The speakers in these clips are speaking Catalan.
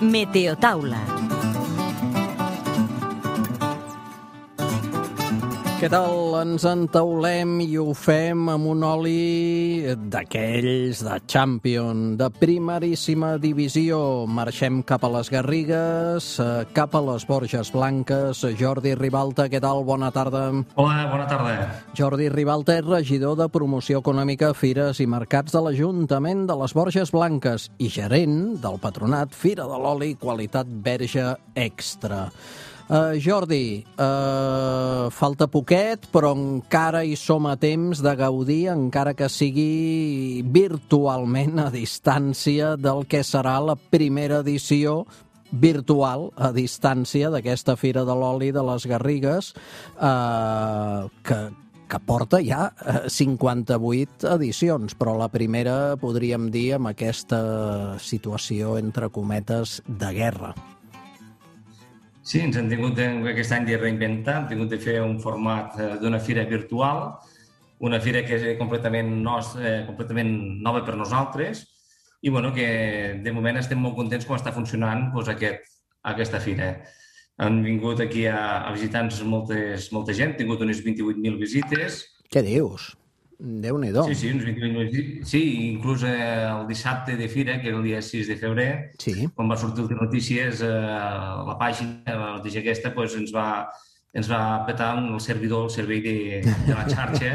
Meteotaula. Què tal? Ens entaulem i ho fem amb un oli d'aquells de Champion, de primeríssima divisió. Marxem cap a les Garrigues, cap a les Borges Blanques. Jordi Ribalta, què tal? Bona tarda. Hola, bona tarda. Jordi Ribalta és regidor de Promoció Econòmica, Fires i Mercats de l'Ajuntament de les Borges Blanques i gerent del patronat Fira de l'Oli Qualitat Verge Extra. Jordi, falta poquet, però encara hi som a temps de gaudir, encara que sigui virtualment a distància del que serà la primera edició virtual a distància d'aquesta Fira de l'Oli de les Garrigues, que porta ja 58 edicions, però la primera, podríem dir, amb aquesta situació, entre cometes, de guerra. Sí, ens hem tingut aquest any de reinventar, hem tingut de fer un format d'una fira virtual, una fira que és completament nova per nosaltres i que de moment estem molt contents com està funcionant aquesta fira. Han vingut aquí a visitar-nos molta gent, hem tingut unes 28.000 visites. Què dius? Déu-n'hi-do. Sí, uns 28.000 visites. Sí, inclús el dissabte de fira, que era el dia 6 de febrer, quan va sortir les notícies, la pàgina, la notícia aquesta, ens va petar el servei de la xarxa,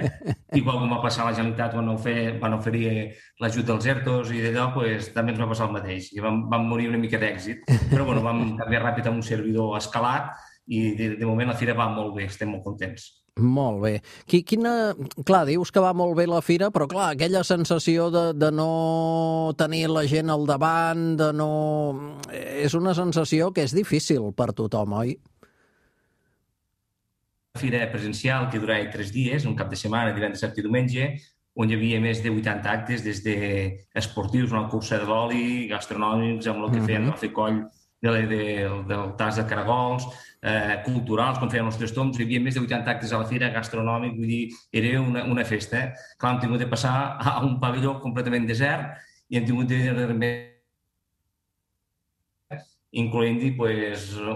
igual com va passar a la Generalitat quan van oferir l'ajut dels ERTOs i d'allò, també ens va passar el mateix. I vam morir una mica d'èxit, però vam canviar ràpid amb un servidor escalat i de moment la fira va molt bé, estem molt contents. Molt bé. Clar, dius que va molt bé la fira, però clar, aquella sensació de no tenir la gent al davant, és una sensació que és difícil per tothom, oi? La fira presencial que durava 3 dies, un cap de setmana, divendres, dissabte i diumenge, on hi havia més de 80 actes, des d'esportius, una cursa de l'oli, gastronòmics, amb el que feien el coll del tas de caragols, culturals, quan feien els tres toms, hi havia més de 80 actes a la fira, gastronòmic, vull dir, era una festa. Clar, hem tingut de passar a un pavelló completament desert i hem tingut de incloent-hi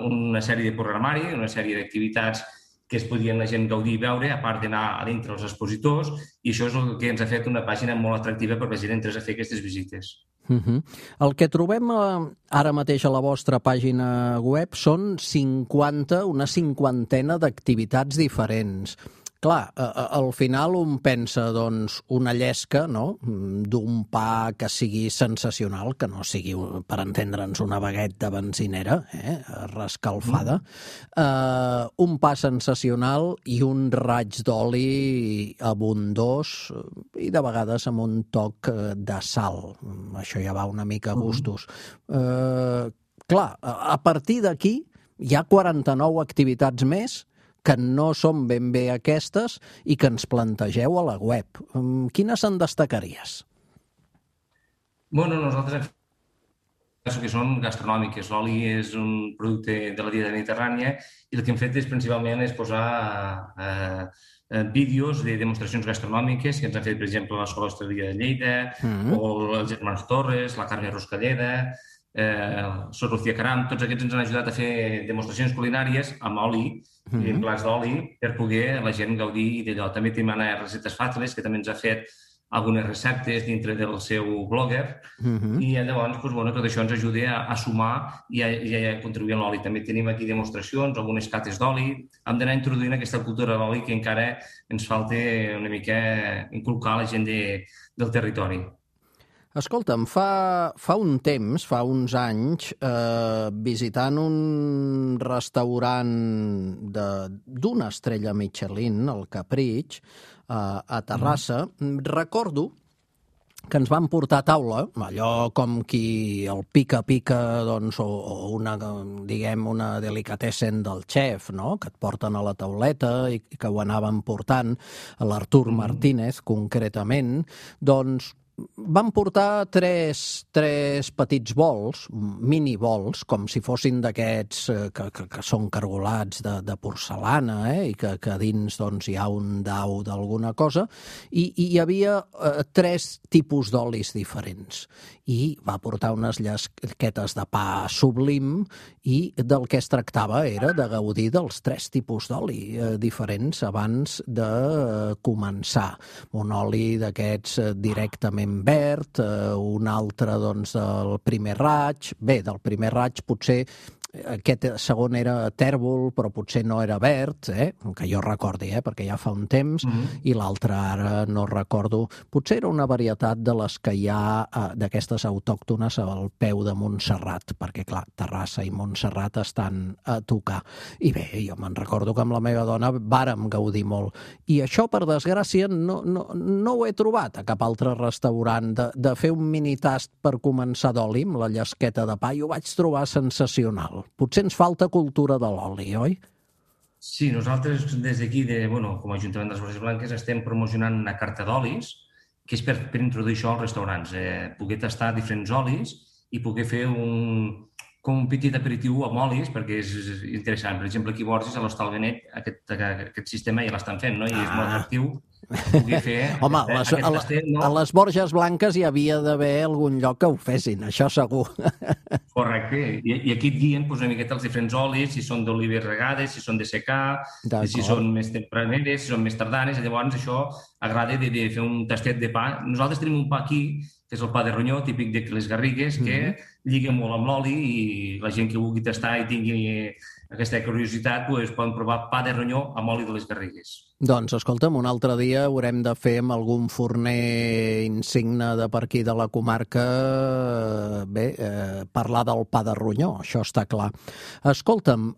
una sèrie de programari, una sèrie d'activitats que es podien la gent gaudir i veure, a part d'anar a dintre els expositors, i això és el que ens ha fet una pàgina molt atractiva per la gent entrés a fer aquestes visites. El que trobem ara mateix a la vostra pàgina web són una cinquantena d'activitats diferents. Clar, al final un pensa, doncs, una llesca, no?, d'un pa que sigui sensacional, que no sigui, per entendre'ns, una baguette de benzinera, rescalfada, un pa sensacional i un raig d'oli abundós i de vegades amb un toc de sal. Això ja va una mica a gustos. Clar, a partir d'aquí hi ha 49 activitats més que no són ben bé aquestes i que ens plantegeu a la web. Quines en destacaries? Nosaltres que són gastronòmiques. L'oli és un producte de la dieta mediterrània i el que hem fet principalment és posar vídeos de demostracions gastronòmiques que ens han fet, per exemple, l'Escola Hostaleria de Lleida o els germans Torres, la Carme Ruscalleda, Sor Lucía Caram, tots aquests ens han ajudat a fer demostracions culinàries amb oli, en plats d'oli, per poder la gent gaudir d'allò. També tenim Anna Receptes Fàciles, que també ens ha fet algunes receptes dintre del seu blogger i llavors tot això ens ajuda a sumar i a contribuir a l'oli. També tenim aquí demostracions, algunes cates d'oli. Hem d'anar introduint aquesta cultura de l'oli que encara ens falta una mica inculcar a la gent del territori. Escolta'm, fa un temps, fa uns anys, visitant un restaurant d'una estrella Michelin, el Capritx, a Terrassa, recordo que ens van portar a taula, allò com qui el pica-pica, doncs, o una delicatessen del xef, no?, que et porten a la tauleta i que ho anaven portant, l'Artur Martínez, concretament, doncs van portar tres petits bols, mini bols, com si fossin d'aquests que són cargolats de porcelana, i que dins doncs, hi ha un dau d'alguna cosa, i hi havia tres tipus d'olis diferents. I va portar unes llesquetes de pa sublim i del que es tractava era de gaudir dels tres tipus d'oli diferents abans de començar. Un oli d'aquests directament verd, un altre doncs, del primer raig. Bé, del primer raig potser aquest segon era tèrbol, però potser no era verd, que jo recordi, perquè ja fa un temps, i l'altre ara no recordo. Potser era una varietat de les que hi ha d'aquestes autòctones al peu de Montserrat, perquè, clar, Terrassa i Montserrat estan a tocar. I bé, jo me'n recordo que amb la meva dona vàrem gaudir molt. I això, per desgràcia, no ho he trobat a cap altre restaurant, de fer un mini tast per començar d'oli amb la llesqueta de pa, i ho vaig trobar sensacional. Potser ens falta cultura de l'oli, oi? Sí, nosaltres des d'aquí, com a Ajuntament de les Borges Blanques, estem promocionant una carta d'olis, que és per introduir això als restaurants, poder tastar diferents olis i poder fer com un petit aperitiu amb olis, perquè és interessant. Per exemple, aquí a Borges, a l'Hostal Benet, aquest sistema ja l'estan fent, no? I és molt atractiu poder fer... Home, a les Borges Blanques hi havia d'haver algun lloc que ho fessin, això segur. Correcte. I aquí et guien una miqueta els diferents olis, si són d'olives regades, si són de secà, si són més tempraneres, si són més tardanes, i llavors això agrada de fer un tastet de pa. Nosaltres tenim un pa aquí, que és el pa de ronyó, típic de les Garrigues, que lliga molt amb l'oli i la gent que vulgui tastar i tingui aquesta curiositat poden provar pa de ronyó amb oli de les Garrigues. Doncs, escolta'm, un altre dia haurem de fer amb algun forner insigne de per aquí de la comarca, parlar del pa de ronyó, això està clar. Escolta'm,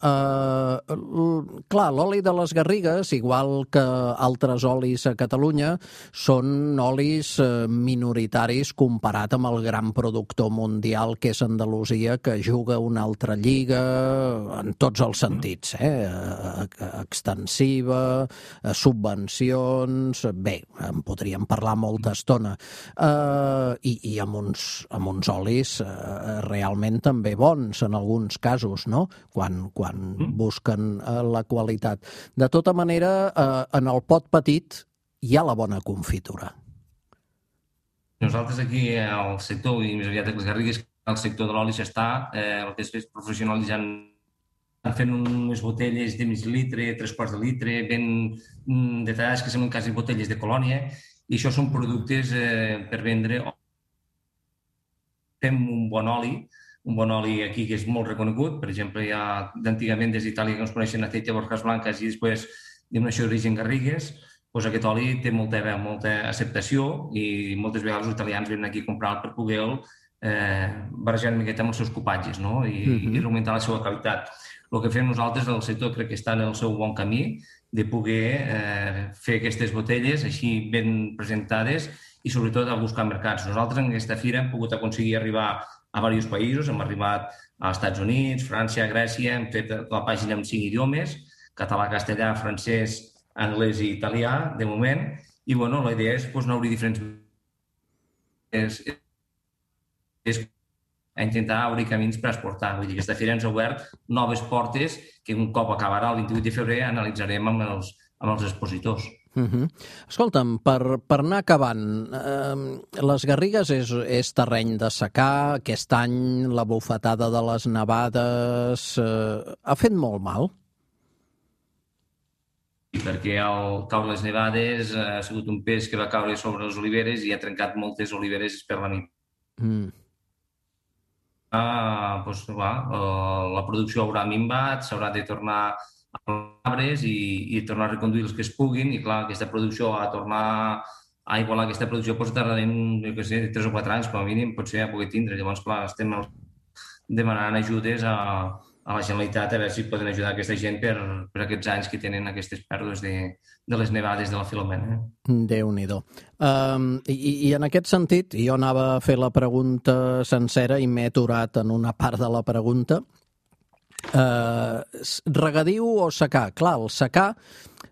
clar, l'oli de les Garrigues, igual que altres olis a Catalunya, són olis minoritaris comparat amb el gran productor mundial que és Andalusia, que juga una altra lliga en tots els sentits, extensiva, subvencions, bé, en podríem parlar molta estona, i amb uns olis realment també bons en alguns casos, no? Quan busquen la qualitat. De tota manera, en el pot petit hi ha la bona confitura. Nosaltres aquí al sector, i més aviat a les Garrigues, el sector de l'oli s'està, el que és professionalitzant, fent unes botelles de mig litre, 3/4 de litre, ben detallades, que semblen quasi botelles de colònia, i això són productes per vendre. Fem un bon oli aquí que és molt reconegut. Per exemple, hi ha d'antigament des d'Itàlia que ens coneixen aceite de Borges Blanques i després denominació d'origen Garrigues. Doncs aquest oli té molta acceptació i moltes vegades els italians venen aquí a comprar per poder barrejar una miqueta amb els seus cupatges, no? I augmentar la seva qualitat. El que fem nosaltres del sector crec que està en el seu bon camí de poder fer aquestes botelles així ben presentades i sobretot a buscar mercats. Nosaltres en aquesta fira hem pogut aconseguir arribar a diversos països, hem arribat als Estats Units, França, Grècia, hem fet la pàgina en 5 idiomes, català, castellà, francès, anglès i italià, de moment, i la idea és anar-hi diferents... a intentar obrir camins per exportar. Vull dir, aquesta fira ens ha obert noves portes que un cop acabarà el 28 de febrer analitzarem amb els expositors. Escolta'm, per anar acabant, les Garrigues és terreny de secà, aquest any la bufetada de les nevades ha fet molt mal? Perquè al caure les nevades ha sigut un pes que va caure sobre les oliveres i ha trencat moltes oliveres per la nit. La producció haurà minvat, s'haurà de tornar a arbres i tornar a reconduir els que es puguin, i clar, aquesta producció a tornar a igualar aquesta producció tardarem, 3 o 4 anys com a mínim, potser a poder tindre. Llavors, clar, estem demanant ajudes a la Generalitat a veure si poden ajudar aquesta gent per aquests anys que tenen aquestes pèrdues de les nevades de la Filomena. Déu-n'hi-do. I en aquest sentit, jo anava a fer la pregunta sencera i m'he aturat en una part de la pregunta. Regadiu o secà? Clar, el secà,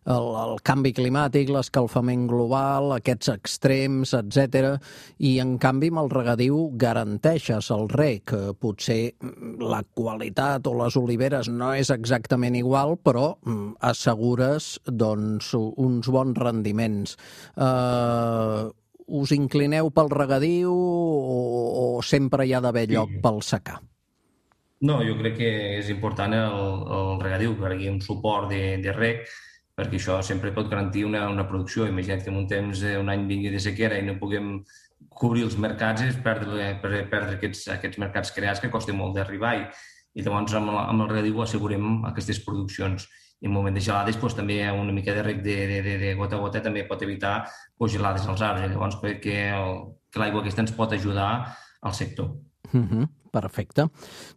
el canvi climàtic, l'escalfament global, aquests extrems, etc. I, en canvi, amb el regadiu garanteixes el reg. Potser la qualitat o les oliveres no és exactament igual, però assegures doncs, uns bons rendiments. Us inclineu pel regadiu o sempre hi ha d'haver lloc pel secà? No, jo crec que és important el regadiu, que hi hagi un suport de reg, perquè això sempre pot garantir una producció. Imagina't que en un temps, un any vingui de sequera i no puguem cobrir els mercats, és perdre aquests mercats creats que costa molt d'arribar, i llavors amb el regadiu assegurem aquestes produccions. I en un moment de gelades també una mica de reg de gota a gota també pot evitar gelades als arbres. Llavors crec que l'aigua aquesta ens pot ajudar al sector. Perfecte.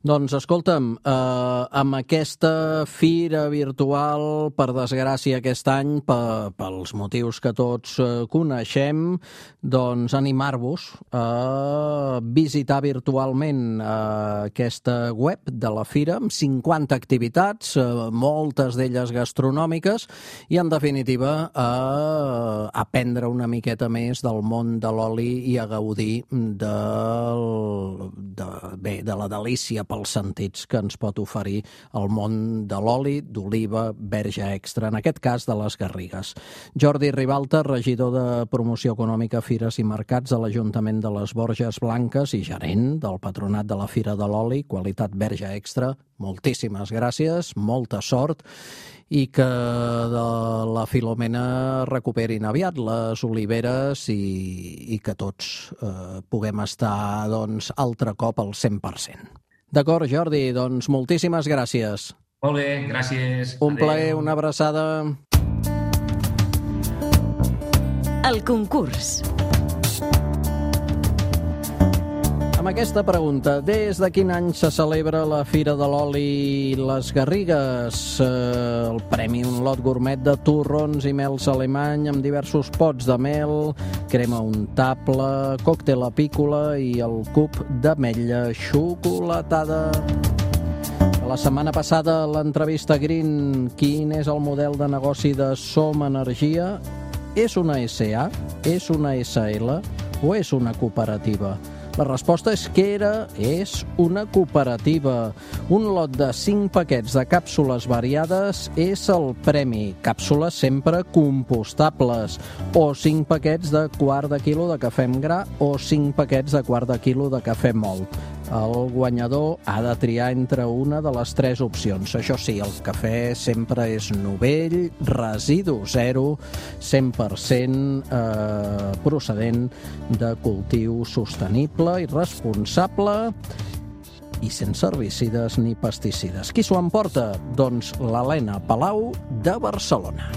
Doncs, escolta'm, amb aquesta fira virtual, per desgràcia aquest any, pels motius que tots coneixem, doncs animar-vos a visitar virtualment aquesta web de la fira, amb 50 activitats, moltes d'elles gastronòmiques, i, en definitiva, a aprendre una miqueta més del món de l'oli i a gaudir de la delícia pels sentits que ens pot oferir el món de l'oli d'oliva verge extra, en aquest cas de les Garrigues. Jordi Ribalta, regidor de Promoció Econòmica, Fires i Mercats de l'Ajuntament de les Borges Blanques i gerent del Patronat de la Fira de l'Oli, qualitat verge extra, moltíssimes gràcies, molta sort, i que de la Filomena recuperin aviat les oliveres i que tots puguem estar altre cop al 100%. D'acord, Jordi, doncs moltíssimes gràcies. Molt bé, gràcies. Un plaer, una abraçada. El concurs. Amb aquesta pregunta, des de quin any se celebra la Fira de l'Oli Les Garrigues? El premi Un lot gourmet de torrons i mels alemany amb diversos pots de mel, crema untable, còctel apícola i el cub d'ametlla xocolatada. La setmana passada, a l'entrevista Green, quin és el model de negoci de Som Energia? És una SA? És una SL? O és una cooperativa? La resposta és que és una cooperativa. Un lot de 5 paquets de càpsules variades és el premi. Càpsules sempre compostables. O 5 paquets de quart de quilo de cafè amb gra o 5 paquets de quart de quilo de cafè mòlt. El guanyador ha de triar entre una de les 3 opcions. Això sí, el cafè sempre és novell, residu zero, 100% procedent de cultiu sostenible i responsable i sense herbicides ni pesticides. Qui s'ho emporta? Doncs l'Helena Palau de Barcelona.